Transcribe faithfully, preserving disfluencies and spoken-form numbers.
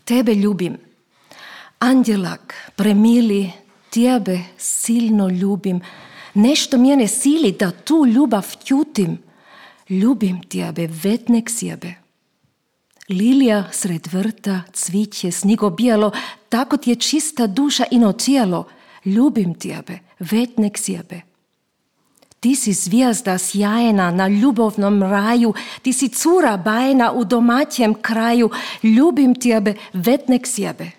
Tebe ljubim. Anđelak, premili, tebe silno ljubim. Nešto mene sili da tu ljubav tjutim. Ljubim tebe, vetnek sjebe. Lilija sred vrta, cviće, snigo bijelo, tako ti je čista duša ino tijelo. Ljubim tebe, vetnek sjebe. Ti si zvijezda sjajna na ljubovnom raju, ti si cura bajna u domaćem kraju. Ljubim tebe, vetnek sjebe.